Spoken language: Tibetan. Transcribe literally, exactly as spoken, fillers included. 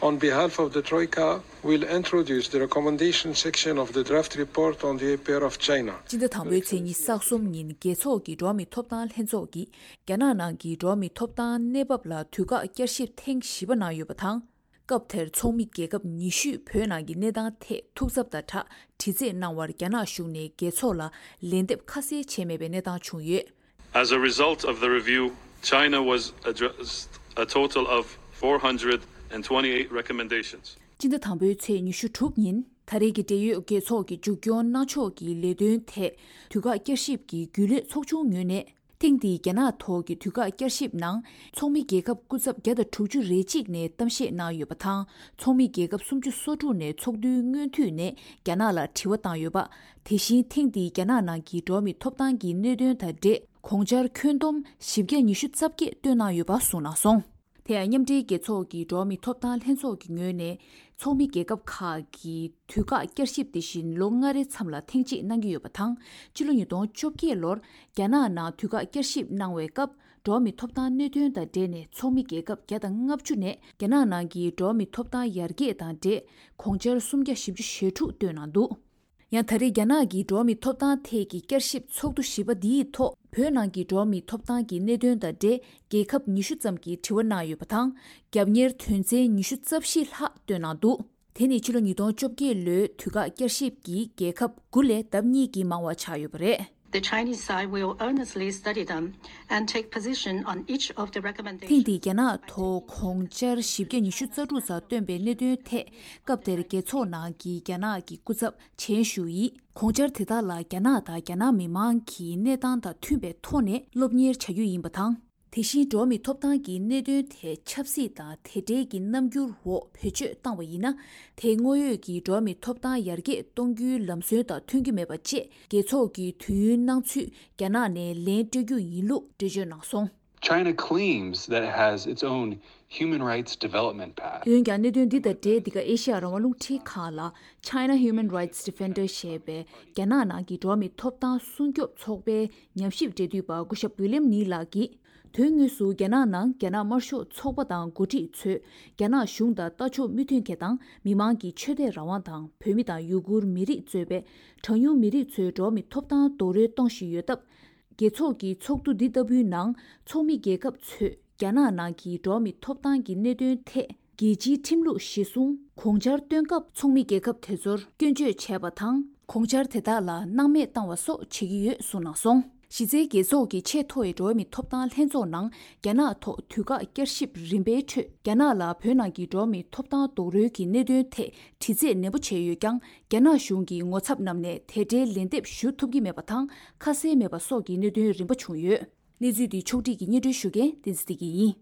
On behalf of the Troika, we'll introduce the recommendation section of the draft report on the A P R of China. སྤྱི་ཟླ་དང་པོའི་ཚེས་ཉི་ཤུ་རྩ་གསུམ་ཉིན་རྒྱལ་ཚོགས་ཀྱི་འགྲོ་བ་མིའི་ཐོབ་ཐང་ལྷན་ཚོགས་ཀྱིས་རྒྱ་ནག་ནང་གི་འགྲོ་བ་མིའི་ཐོབ་ཐང་གནས་བབ་ལ་དུས་བཀག་བསྐྱར་ཞིབ་ཐེངས་བཞི་པ་གནང་ཡོད་པ་དང་། སྐབས་དེར་ཚོགས་མི་རྒྱལ་ཁབ་ཉི་ཤུས་བོད་ནང་གི་གནས་སྟངས་ཐད་ཐུགས་འཚབ་དང་སྦྲགས་དྲི་རྩད་གནང་བར་རྒྱ་ནག་གཞུང་ནས་རྒྱལ་ཚོགས་ལ་ལན་འདེབས་ཁ་གསལ་བྱས་མེད་པའི་གནས་སྟངས་བྱུང་ཡོད། As a result of the review, China was addressed a total of four hundred and twenty-eight recommendations. སྤྱི་ཟླ་དང་པོའི་ཚེས་ཉི་ཤུ་དྲུག་ཉིན་ད་རེས་ཀྱི་འབྲེལ་ཡོད་རྒྱལ་ཚོགས་ཀྱི་མཇུག་སྐྱོང་གནང་ཕྱོགས་ཀྱི་ལས་དོན་ཐད་དུས་བཀག་བསྐྱར་ཞིབ་ཀྱི་རྒྱུན་ལས་ཚོགས་ཆུང་ངོས་ནས། ཐེངས་འདིའི་རྒྱ་ནག་ཐོག་གི་དུས་བཀག་བསྐྱར་ཞིབ་ནང་ཚོགས་མི་རྒྱལ་ཁབ་སྐུ་ཚབ་བརྒྱ་དང་དྲུག་ཅུ་རེ་གཅིག་ནས་གཏམ་བཤད་གནང་ཡོད་པ་དང་། ཚོགས་མི་རྒྱལ་ཁབ་སུམ་ཅུ་སོ་དྲུག་ནས་ཚོགས་འདུའི་སྔོན་དུས་ནས་རྒྱ་ནག་ལ་དྲི་བ་བཏང་ཡོད་པ། དེ་བཞིན་ཐེངས་འདིའི་རྒྱ་ནག་ནང་གི་འགྲོ་བ་མིའི་ཐོབ་ཐང་གི་གནད་དོན་དང་འབྲེལ་གོང་ཆར་ཁྱོན་བསྡོམས་བཞི་བརྒྱ་ཉི་ཤུ་རྩ་བརྒྱད་བཏོན་གནང་ཡོད་པ་གསུངས་གནང་སོང་། དེ་ཡང་མཉམ་འབྲེལ་རྒྱལ་ཚོགས་ཀྱི་འགྲོ་བ་མིའི་ཐོབ་ཐང་ལྷན་ཚོགས་ཀྱི་ངོས་ནས་ཚོགས་མི་རྒྱལ་ཁབ་ཁག་གི་དུས་བཀག་བསྐྱར་ཞིབ་དེ་བཞིན་ལོ་ལྔ་རེའི་མཚམས་ལ་ཐེངས་གཅིག་གནང་གི་ཡོད་པ་དང་། ཕྱི་ལོ་ཉིས་སྟོང་བཅོ་བརྒྱད་ལོར་རྒྱ་ནག་ནང་དུས་བཀག་བསྐྱར་ཞིབ་གནང་བའི་སྐབས་འགྲོ་བ་མིའི་ཐོབ་ཐང་གནད་དོན་དང་འབྲེལ་ནས་ཚོགས་མི་རྒྱལ་ཁབ་བརྒྱ་དང་ལྔ་བཅུ་ནས་རྒྱ་ནག་ནང་གི་འགྲོ་བ་མིའི་ཐོབ་ཐང་ཡར་རྒྱས་དང་འབྲེལ་གོང་ཆར་སུམ་བརྒྱ་བཞི་བཅུ་ཞེ་དྲུག་བཏོན་གནང་འདུག། ཡང་ད་རེས་རྒྱ་ནག་གི་འགྲོ་བ་མིའི་ཐོབ་ཐང་ཐད་ཀྱི་བསྐྱར་ཞིབ་ཚོགས་འདུ་བཞི་པ་འདིའི་ཐོག་བོད་ནང་གི་འགྲོ་བ་མིའི་ཐོབ་ཐང་གི་གནད་དོན་དང་འབྲེལ་རྒྱལ་ཁབ་ཉི་ཤུ་ཙམ་གྱིས་དྲི་བ་གནང་ཡོད་པ་དང་། རྒྱབ་གཉེར་དོན་ཚན་ཉི་ཤུ་རྩ་བཞི་ལྷག་བཏོན་གནང་འདུག། དེ་ནི་ཕྱི་ལོ་ཉིས་སྟོང་བཅོ་བརྒྱད་ལོའི་དུས་བཀག་བསྐྱར་ཞིབ་ཀྱིས་རྒྱལ་ཁབ་དགུ་ལས་ལྡབ་གཉིས་ཀྱིས་མང་བ་ཆགས་ཡོད་པ་རེད། The Chinese side will earnestly study them and take position on each of the recommendations. ཐེངས་འདིའི་རྒྱ་ནག་ཐོག་གོང་ཆར་བཞི་བརྒྱ་ཉི་ཤུ་རྩ་དྲུག་ཙམ་བཏོན་པའི་གནད་དོན་ཐད་སྐབས་དེར་རྒྱལ་ཚོགས་ནང་གི་རྒྱ་ནག་གི་སྐུ་ཚབ་ཆན་ཞུ་ཡིས་གོང་ཆར་དེ་དག་ལ་རྒྱ་ནག་དང་རྒྱ་ནག་མི་མང་གི་གནས་སྟངས་དང་མཐུན་པའི་ཐོག་ནས་སློབ་གཉེར་བྱ་རྒྱུ་ཡིན་པ་དང་། དེ་བཞིན་འགྲོ་བ་མིའི་ཐོབ་ཐང་གི་གནད་དོན་ཐད་ཆབ་སྲིད་དང་དེ་འབྲེལ་གྱི་རྣམ་འགྱུར་འོག་བེད་སྤྱོད་བཏང་བ་ཡིན་ན། དེ་དངོས་ཡོད་ཀྱི་འགྲོ་བ་མིའི་ཐོབ་ཐང་ཡར་རྒྱས་གཏོང་རྒྱུའི་ལམ་སྲོལ་དང་མཐུན་གྱི་མེད་པ་བཅས་རྒྱལ་ཚོགས་ཀྱི་དུས་ཡུན་གནང་ཚུལ་རྒྱ་ནག་ནས་ལན་སྤྲོད་རྒྱུ་ཡིན་ལུགས་འགྲེལ་བརྗོད་གནང་སོང་། China claims that it has its own human rights development path. འོན་ཀྱང་གནད་དོན་འདི་དང་འབྲེལ་འདི་ག་ཨེ་ཤ་ཡ་རང་དབང་རླུང་འཕྲིན་ཁང་ལ་China Human Rights Defender ཞེས་པའི་རྒྱ་ནག་ནང་གི་འགྲོ་བ་མིའི་ཐོབ་ཐང་སྲུང་སྐྱོབ་ཚོགས་པའི་ཉམས་ཞིབ་འབྲེལ་མཐུད་པ་སྐུ་ཞབས་ཝི་ལིམ་ནི་ལགས་ཀྱིས། དོན་དངོས་སུ་རྒྱ་ནག་ནང་རྒྱ་ནག་དམར་ཤོག་ཚོགས་པ་དང་འགོ་ཁྲིད་ཚོས་རྒྱ་ནག་གཞུང་དང་ལྟ་ཕྱོགས་མི་མཐུན་མཁན་དང་མི་མང་གི་ཆོས་དད་རང་དབང་དང་བོད་མི་དང་ཡུ་གུར་མི་རིགས་གཙོས་པའི་གྲངས་ཉུང་མི་རིགས་ཚོའི་འགྲོ་བ་མིའི་ཐོབ་ཐང་རྡོག་རོལ་གཏོང་བཞིན་ཡོད་སྟབས། རྒྱལ་ཚོགས་ཀྱི་ཚོགས་འདུ་འདི་ལྟ་བུའི་ནང་ཚོགས་མི་རྒྱལ་ཁབ་ཚོས་རྒྱ་ནག་ནང་གི་འགྲོ་བ་མིའི་ཐོབ་ཐང་གི་གནད་དོན་ཐད། རྒྱལ་སྤྱིའི་ཁྲིམས་ལུགས་གཞིར་བཟུང་གོང་ཆར་བཏོན་སྐབས་ཚོགས་མི་རྒྱལ་ཁབ་དེ་ཚོར་སྐྱོན་བརྗོད་བྱས་པ་དང་། གོང་ཆར་དེ་དག་ལ་སྣང་མེད་བཏང་བ་སོགས་བྱེད་ཀྱི་ཡོད་གསུངས་གནང་སོང་། གཞི་རྩའི་རྒྱལ་ཚོགས་ཀྱི་ཆེས་མཐོ་བའི་འགྲོ་བ་མིའི་ཐོབ་ཐང་ལྷན་ཚོགས་ནང་རྒྱ་ནག་ཐོག་དུས་བཀག་བསྐྱར་ཞིབ་རིམ་པའི་ཁྲོད་རྒྱ་ནག་ལ་བོད་ནང་གི་འགྲོ་བ་མིའི་ཐོབ་ཐང་རྡོག་རོལ་གྱི་གནད་དོན་ཐད་དྲི་རྩད་ནན་པོ་བྱས་ཡོད་ཀྱང་། རྒྱ་ནག་གཞུང་གིས་ངོ་ཚབ་བསྣམས་ནས་དེ་འབྲེལ་ལན་འདེབས་ཞུ་ཐུབ་ཀྱི་མེད་པ་དང་ཁ་གསལ་མེད་པ་སོགས་ཀྱི་གནད་དོན་རིམ་པ་བྱུང་ཡོད། གནས་ཚུལ་འདི་ཕྱོགས་སྒྲིག་གིས་སྙན་སྒྲོན་ཞུ་མཁན་བསྟན་འཛིན་བདེ་སྐྱིད་ཡིན།